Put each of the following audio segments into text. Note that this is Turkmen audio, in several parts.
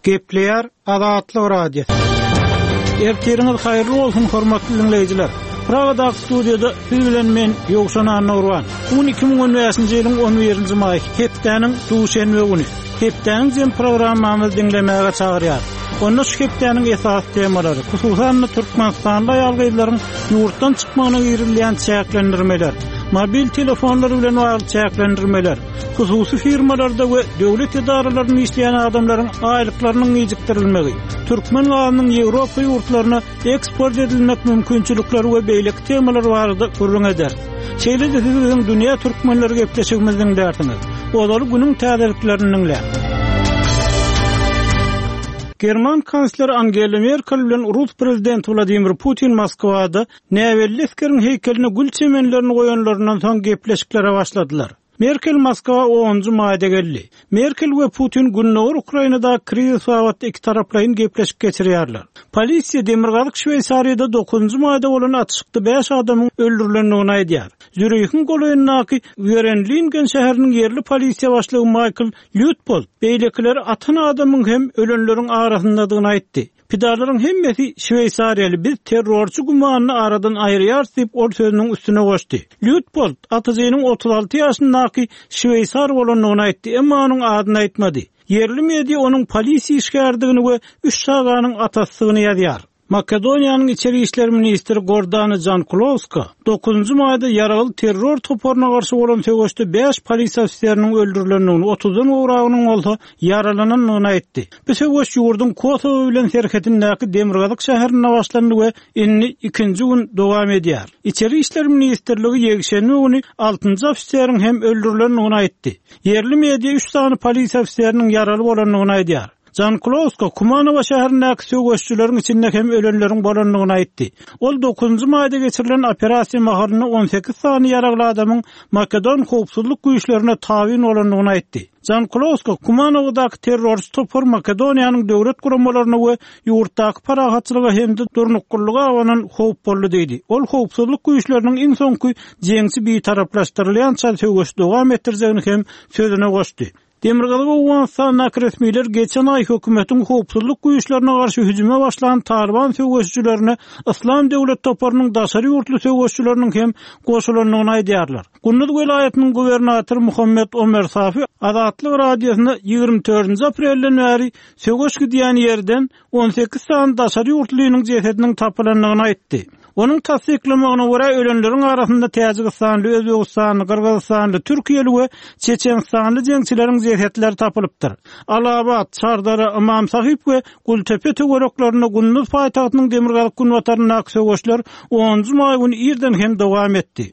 Gepleýär Azatlyk Radiosy. Ertiriňiz haýyrly bolsun, hormatly diňleýjiler! Pragadaky studiýada siz bilen men, Ýowşan Annagurban. Bu gün 2015-nji ýylyň 11-nji maýy, hepdäniň duşenbe güni. Hepdäniň jem programmamyzy diňlemäge çagyrýar. Onda şu hepdäniň esasy temalary, hususan-da türkmenistanly aýal-gyzlaryň ýurtdan çykmagyna girizilýän çäklendirmeler, mobil telefonlar bilen bagly çäklendirmeler, hususy firmalarda we döwlet edaralarynda işleýän adamlaryň aýlyklarynyň gijikdirilmegi, türkmen gazynyň Ýewropa ýurtlaryna eksport edilmek mümkinçilikleri we beýleki temalar barada gürrüň ederis. Şeýle-de siz biziň Dünýä türkmenleri gepleşigimizi diňlärsiňiz. Ozaly günüň täzeliklerini diňläň. German kansleri Angela Merkel bilen rus prezidenti Wladimir Putin Moskwada näbelli esgeriň heýkeline gül çemenlerini goýanlaryndan soň gepleşiklere başladylar. Merkel Moskwa onunjy maýda geldi. Merkel we Putin gündogar Ukrainadaky krizis babatda ikitaraplaýyn gepleşik geçirýärler. Polisiýa demirgazyk Şweýsariýada dokuzynjy maýda bolan atyşykda bäş adamyň öldürilendigini aýdýar. Zürihiň golaýyndaky Werenlingen şäheriniň ýerli polisiýa başlygy Maýkl Lýutpold beýlekileri atan adamyň hem ölenleriň arasyndadygyny aýtdy. Pidalaryň hemmesi şweýsariýaly, biz terrorçy gümanyny aradan aýyrýarys diýip, ol sözüniň üstüne goşdy. Lýutpold atyjynyň 36 ýaşyndaky şweýsar bolandygyny aýtdy, emma onuň adyny aýtmady. Ýerli media onuň polisiýa işgäridigini we üç çaganyň atasydygyny ýazýar. Makedoniýanyň içeri işler ministri Gordana Jankulowska dokuzynjy maýda ýaragly terror toparyna garşy bolan söweşde bäş polisiýa ofiseriniň öldürilendigini, otuzdan gowragynyň bolsa ýaralanandygyny aýtdy. Bu söweş ýurduň Kosowo bilen serhedindäki demirgazyk şäherinde başlandy we indi ikinji gün dowam edýär. Içeri işler ministrligi ýekşenbe güni altynjy ofiseriň hem öldürilendigini aýtdy. Ýerli media üç sany polisiýa ofiseriniň ýaraly bolandygyny aýdýar. Jankulowska Kumanowa şäherindäki söweşijileriň içinde hem ölenleriň bolandygyny aýtdy. Ol dokuzynjy maýda geçirilen operasiýa mahalynda 18 sany ýaragly adamyň makedon howpsuzlyk güýçlerine tabyn bolandygyny aýtdy. Jankulowska Kumanowadaky terrorçy topar Makedoniýanyň döwlet guramalaryna we ýurtdaky parahatçylyga hem-de durnuklylyga abanan howp boldy diýdi. Ol howpsuzlyk güýçleriniň iň soňky jeňçi bitaraplaşdyrylýança söweşi dowam etdirjegini hem sözüne goşdy. Demirgazyk Owganystandaky resmiler geçen aý hökümetiň howpsuzlyk güýçlerine garşy hüjüme başlan Talyban söweşijilerine Yslam döwlet toparynyň daşary ýurtly söweşijileriniň hem goşulandygyny aýdýarlar. Gunduz welaýatynyň gubernatory Muhammet Omer Safi Azatlyk Radiosyna 24-nji aprelden bäri söweş gidýän ýerden 18 sany daşary ýurtlynyň jesediniň tapylandygyny aýtdy. Onuň tassyklamagyna görä, ölenleriň arasynda täjigistanly, özbegistanly, gyrgyzystanly, türkiýeli we çeçenistanly jeňçileriň jesetleri tapylypdyr. Alabat, Çardara, Ymam Sahyp we Gultepe töwereklerinde Gunduz paýtagtynyň demirgazyk-günbataryndaky söweşler onunjy maý güni irden hem dowam etdi.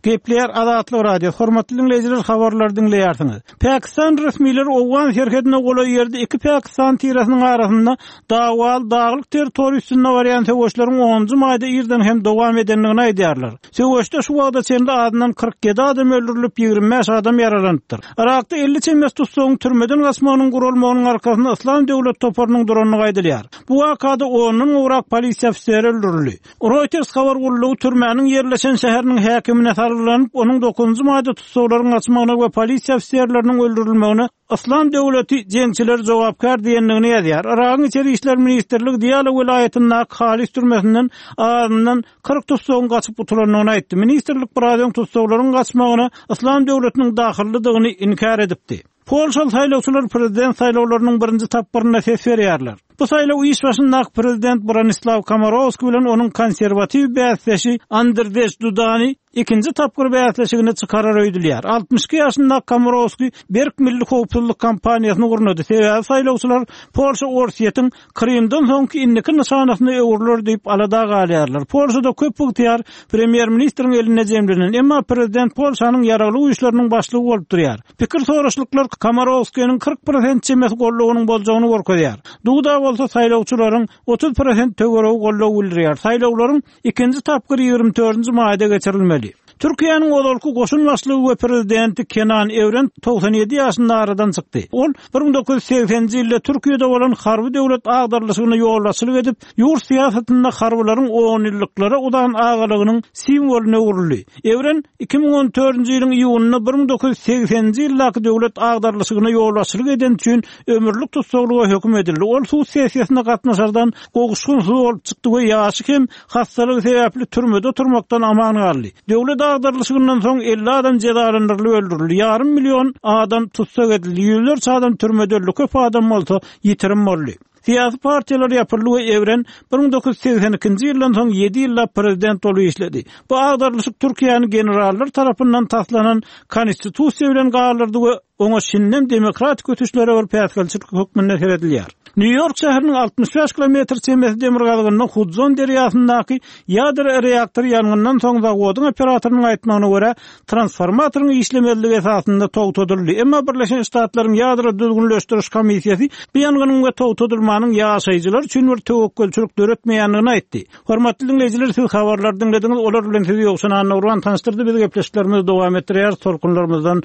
Gepleýär Azatlyk Radiosy. Hormatly diňleýjiler, habarlary diňleýärsiňiz. Pakistan resmileri owgan serhedine golaý ýerde iki pakistan tiresiniň arasynda dawaly daglyk territoriýa üstünde barýan söweşleriň onunjy maýda irden hem dowam edendigini aýdýarlar. Söweşde şu wagta çenli azyndan 47 adam öldürilip, 25 adam ýaralanypdyr. Yrakda 50 çemesi tussagyň türmeden gaçmagynyň guralmagynyň arkasynda Yslam döwlet toparynyň durandygy aýdylýar. Bu wakada ondan gowrak polisiýa ofiseri öldürildi. Reuters habar gullugy türmäniň ýerleşen şäheriniň häkimine salgylanyp, onuň dokuzynjy maýda tussaglaryň gaçmagyna we polisiýa ofiserleriniň öldürilmegine Yslam döwleti jeňçileri jogapkär diýendigini ýazýar. Yragyň Içeri işler ministrligi Diýala welaýatyndaky Halis türmesinden azyndan 40 tussagyň gaçyp gutulandygyny aýtdy. Ministrlik biraz öň tussaglaryň gaçmagyna Yslam döwletiniň dahyllydygyny inkär edipdi. Polşaly saýlawçylar prezident saýlawlarynyň birinji tapgyrynda ses berýärler. Bu saýlaw iş başyndaky prezident Bronislaw Komorowski bilen onuň konserwatiw bäsdeşi Andrzej Dudany ikinji tapgyr bäsleşigine çykarar öýdülýär. 62 ýaşyndaky Komorowski berk milli howpsuzlyk kampaniýasyny gurnady, sebäbi saýlawçylar Polşa Orsýetiň Krymdan soňky indiki nyşanasyna öwrüler diýip alada galýarlar. Polşada köp ygtyýar premýer-ministriň elinde jemlenen, emma prezident Polşanyň ýaragly güýçleriniň başlygy bolup durýar. Pikir soraşlyklar Komorowskiniň 40 prosent çemesi goldawynyň boljagyny görkezýär. Duda bolsa saýlawçylaryň 30 prosent töweregi goldaw bildirýär. Saýlawlaryň ikinji tapgyry 24-nji maýda geçirilmeli. Türkiýäniň ozalky goşun başlygy we prezidenti Kenan Ewren 97 ýaşynda aradan çykdy. Ol 1980-nji ýylda Türkiýede bolan harby döwlet agdarylyşygyna ýolbaşçylyk edip, ýurt syýasatynda harbylaryň onýyllyklara uzan agalygynyň simwolyna öwrüldi. Ewren 2014-nji ýylyň iýunynda 1980-nji ýyldaky döwlet agdarylyşygyna ýolbaşçylyk edeni üçin ömürlik tussaglyga höküm edildi. Ol sud sessiýasyna gatnaşardan gowuşgynsyz bolup çykdy we ýaşy hem hassalygy sebäpli türmede oturmakdan aman galdy. Döwlet agdarylyşygyndan soň 50 adam jezalandyrylyp öldürildi, ýarym million adam tussag edildi, ýüzlerçe adam türmede öldi, köp adam bolsa ýitirim boldy. Syýasy partiýalar ýapyldy we Ewren 1982-nji ýyldan soň ýedi ýyllap prezident bolup işledi. Bu agdarylyşyk Türkiýäni generallar tarapyndan taslanan konstitusiýa bilen galdyrdy we Oňa şindem demokratik ösüşlere bir päsgelçilik hökmünde seredilýär. Nýu-Ýork şäheriniň 65 kilometr çemesi demirgazygynda Hudzon derýasyndaky ýadro reaktory ýangyndan soň zawodyň operatorynyň aýtmagyna görä, transformatoryň işlemezligi esasynda togtadyldy. Emma Birleşen Ştatlaryň Ýadro düzgünleşdiriş komissiýasy bu ýangynyň we togtadylmanyň ýaşaýjylar üçin bir töwekgelçilik döretmeýändigini aýtdy. Hormatly diňleýjiler, siz habarlary diňlediňiz, olar bilen sizi Ýowşan Annagurban tanyşdyrdy. Biz gepleşiklerimizi dowam etdirýäris, tolkunlarymyzdan.